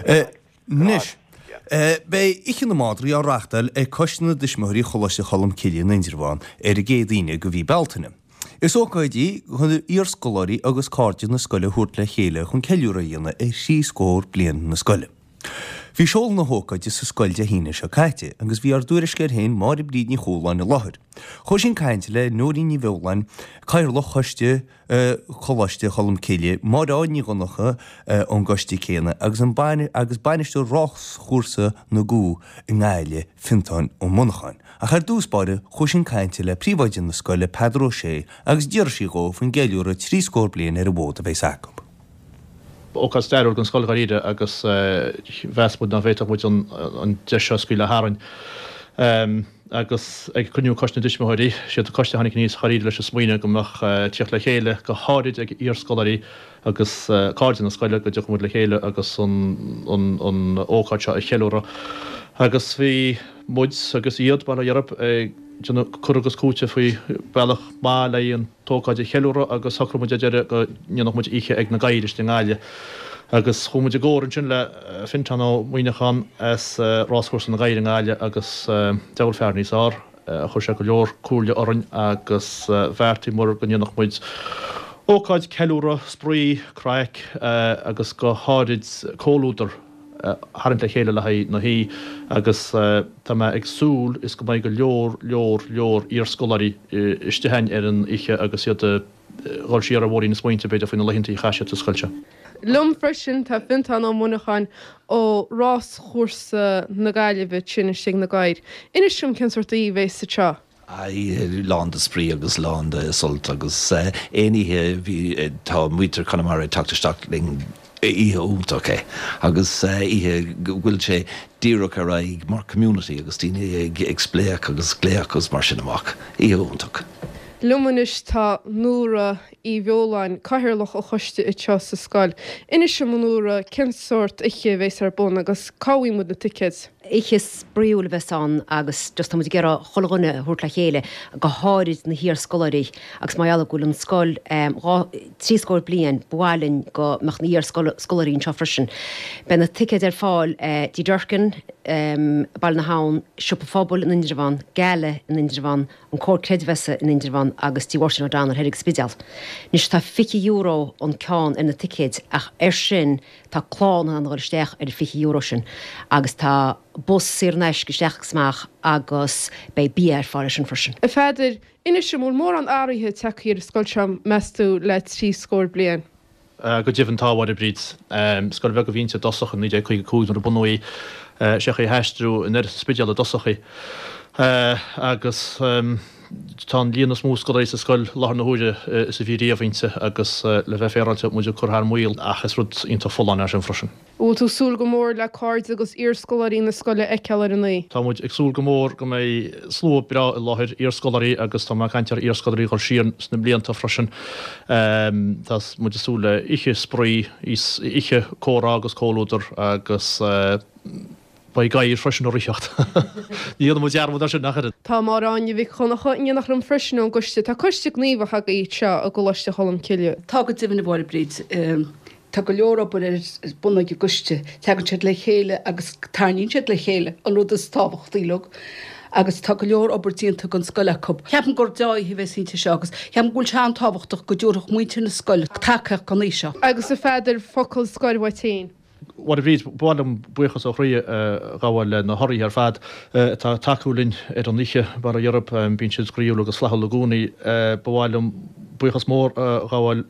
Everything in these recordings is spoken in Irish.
Anois, beidh Oíche na Madraí á reachtáil ag Coiste na dTuismitheoirí Choláiste Cholmcille in Indreabhán ar an gcéad Aoine de mhí Bealtaine. Is ócáid í chun iarscoláirí agus cairde na scoile a thabhairt le chéile chun ceiliúradh a dhéanamh ar thrí scór bliain na scoile. Bhí seoladh na hócáide sa scoil Dé hAoine seo caite agus bhí ár dtuairisceoir féin Máire Bríd Ní Chualáin i láthair. Chuaigh sí chun cainte le Nóirín Ní Bheoláin, Cathaoirleach Choiste Choláiste Cholmcille, Máireád Ní Dhonncha ón gcoiste céanna agus an agus bainisteoir Ráschúrsa na gCú i nGaillimh, Fiontán Ó Monacháin. Ach ar dtús báire, chuaigh sí chun cainte le príomhoide na scoile, Peadar Ó Sé, agus d'fhiafraigh sí dhó faoin gceiliúradh 30 bliain ar an bhfód a bheas acu. Ócáid stairiúil don scoil dháiríre agus mheas muid nach bhféadfadh muid an deis seo a scaoileadh tharainn. Agus ag cruinniú Coiste na dTuismitheoirí, siad an coiste a tháinig aníos dháiríre leis an smaoineamh go mbeadh tíocht le chéile go háirid ag iarscoláirí agus cairde na scoile go dtiocfadh muid le chéile agus an ócáid seo a cheiliúradh. Agus bhí muid agus iad, bail ó Dhia orthu, ag déanamh cur agus cúiteamh faoi bealach maith le an t-ócáid a cheiliúradh agus shocraigh muid ar deireadh go ndéanfadh muid oíche ag na gadhair istigh i nGaillimh. Agus chuaigh muid i gcomhar ansin le Fintán Ó Muíneacháin as Ráschúrsa na nGadhar i nGaillimh agus diabhal fear níos fhearr. Chuir sé go leor comhairle orainn agus bheartaíomar go ndéanfadh muid ócáid ceiliúradh, spraoi, craic agus go háirid comhluadar a tharraingt le chéile le haghaidh na hoíche agus tá mé ag súil is go mbeidh go leor, leor, leor iarscoláirí istigh againn ar an oíche agus iad ag dhul siar ar bhóithrín na smaointe b'fhéidir faoi na laethanta a chaith siad sa scoil seo. Liom freisin tá Fiontán Ó Muineacháin ó Ráschúrsa na Gaillimhe ansin istigh ag na Gadhair. Inis dom cén sórt oíche a bheas anseo. Oíche lán de spraoi agus lán de sult agus aon oíche bhí tá muintir Chonamara ag teacht isteach linn oíche iontach é agus oíche go bhfuil sé díreach ar aghaidh mar community agus daoine ag ag spléach agus glaoch agus mar sin amach. Oíche iontach. Liom anois tá Nóra Uí Bheoláin, Cathaoirleach an Choiste anseo sa scoil. Inis dom a Nóra cén sórt oíche a bheas ar bun agus cá bhfaighidh muid na ticéid? Oíche spraíúil a bheas ann agus just tá muid ag iarraidh chuile dhuine a thabhairt le chéile, go háirid na hiarscoláirí agus mar gheall go bhfuil an scoil dhá, 30 bliain, ba mhaith linn go mbeadh na hiarscoláirí anseo freisin. Beidh na ticéid ar fáil Dí Durkin, Baile na hAbhann, Siopa Phobail in Indreabhán, Gala in Indreabhán, an Comhar Creidmheasa in Indreabhán agus Tí Mháirtín O'Donnell thoir ag an Spidéal. Anois tá €20 an ceann ar na ticéid ach air sin tá clann in ann a dhul isteach ar an €20 sin agus tá bus saor in aisce isteach agus amach agus beidh bia ar fáil leis sin freisin. A Pheadair, inis dom, an bhfuil mórán athraithe tagtha ar an scoil seo, meas tú, le 30 bliain? Go deimhin tá, a Mháire Bríd. Scoil bheag a bhí inti i dtosach i 1955 nuair a bunaíodh í. Sé chaoi a haistriú anoir as an Spidéal i dtosach í. Agus tá an líon is mó scoláirí sa scoil i láthair na huaire is a bhí riamh inti agus le bheith féaráilte muid ag cur thar maoil ach is rud iontach folláin é sin freisin. An bhfuil tú ag súil go mór le cairde agus iarscoláirí na scoile a fheiceáil ar an oíche? Tá muid ag súil go mór go mbeidh slua breá i láthair, iarscoláirí agus tá mé ag caint ar iarscoláirí a dhul siar sna blianta freisin. Tá muid ag súil le oíche spraoi, oíche comhrá agus comhluadar agus beidh gadhair freisin ag ritheacht. Ní dhéanfaidh muid dearmad air sin ach oiread. Tá Máire Áine Mhic Dhonncha in éineacht liom freisin ón gcoiste. Tá coiste gníomhach agaibh anseo i gColáiste Cholm Cille. Tá go deimhin, a Mháire Bríd. Tá go leor obair ar bun ag an gcoiste. Tagann siad le chéile agus tarraingíonn siad le chéile, an rud is tábhachtaí uilig. Agus tá go leor obair déanta don scoil acu. Ceapaim gur deá-oíche a bheas inti seo agus ceapaim go bhfuil sé an-tábhachtach go dtabharfadh muintir na scoile tacaíocht don oíche seo. Agus a Pheadair, focal scoir uait féin. A Mháire Bhríd, ba mhaith liom buíochas ó chroí a ghabháil le na hurraithe ar fad atá ag tacú linn ar an oíche, bail ó Dhia orthu, bíonn siad groíúil agus flaithiúil i gcónaí. Ba mhaith liom buíochas mór a ghabháil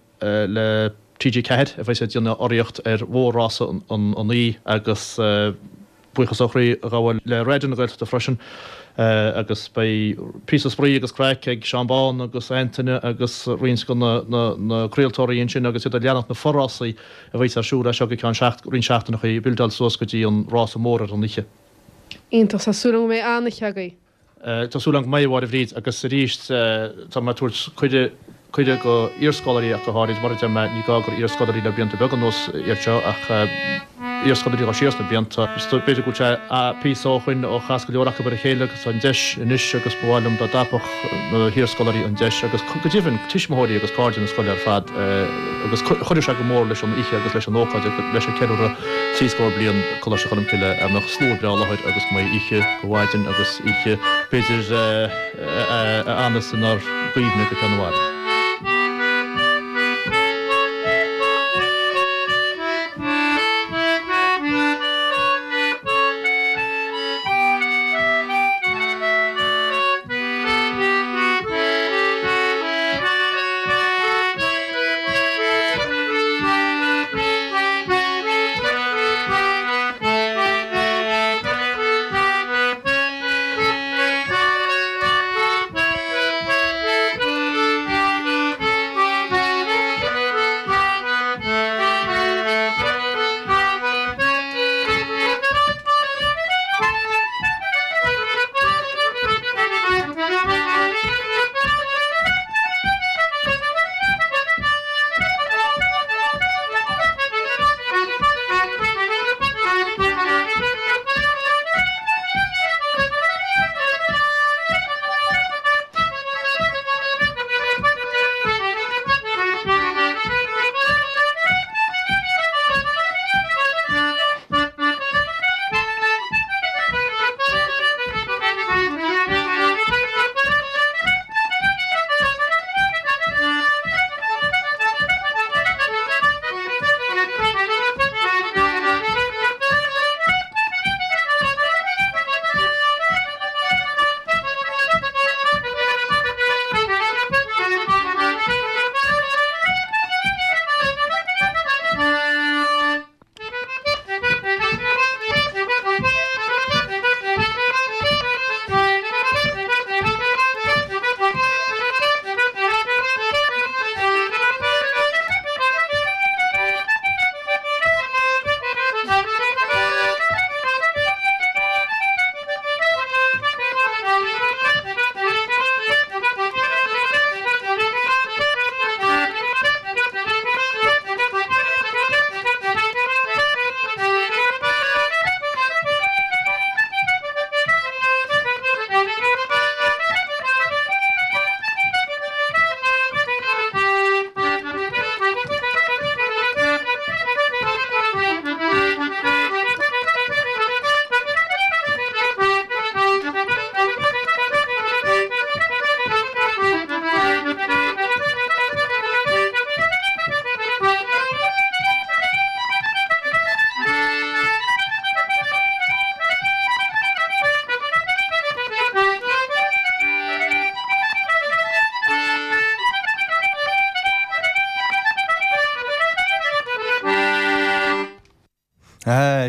le TG4 a bheas ag déanamh urraíocht ar mhór-rása an oíche agus buíochas ó chroí a ghabháil le Raidió na Gaeltachta freisin agus beidh píosa spraoi agus craic ag Seán Bán agus Antaine agus roinnt de na craoltóirí ansin agus iad ag leanacht na forásaí a bheas ar siúl as seo go ceann roinnt seachtaineacha ag buildeáil suas go dtí an rása mór ar an oíche. Iontach, tá súil agam go mbeidh an-oíche agaibh. Tá súil agam go mbeidh, a Mháire Bhríd, agus arís tá mé ag tabhairt cuireadh. Cuireadh go iarscoláirí ach go háirid, mar a deir mé, ní gá gur iarscoláirí le blianta beaga anuas iad seo ach iarscoláirí atá siar sna blianta. B'fhéidir go bhfuil sé píosa ó shoin ó chas go leor acu ar a chéile agus tá an deis anois agus ba mhaith liom dá dtapódh na hiarscoláirí an deis agus go deimhin tuismitheoirí agus cairde na scoile ar fad agus chuirfeadh sé go mór leis an oíche agus leis an ócáid agus leis an ceiliúradh 30 bliain Coláiste Cholmcille a mbeadh slua breá i láthair agus go mbeidh oíche go mhaidin agus oíche b'fhéidir a fhanas inár gcuimhne go ceann i bhfad.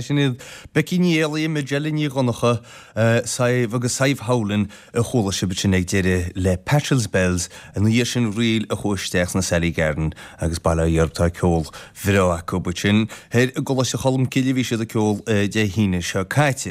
Sin iad Becky Ní Éalaí, Majella Ní Dhonncha, Sadhbh agus Sadhbh Howlin a chuala sibh ansin ag deireadh le Patchells Bells. Ina dhiaidh sin ríl a chuaigh isteach sna Sally Garden agus bail ó Dhia orthu tá ceol bhreá acu ansin. Thoir i gColáiste Cholmcille a bhí siad ag ceol Dé hAoine seo caite.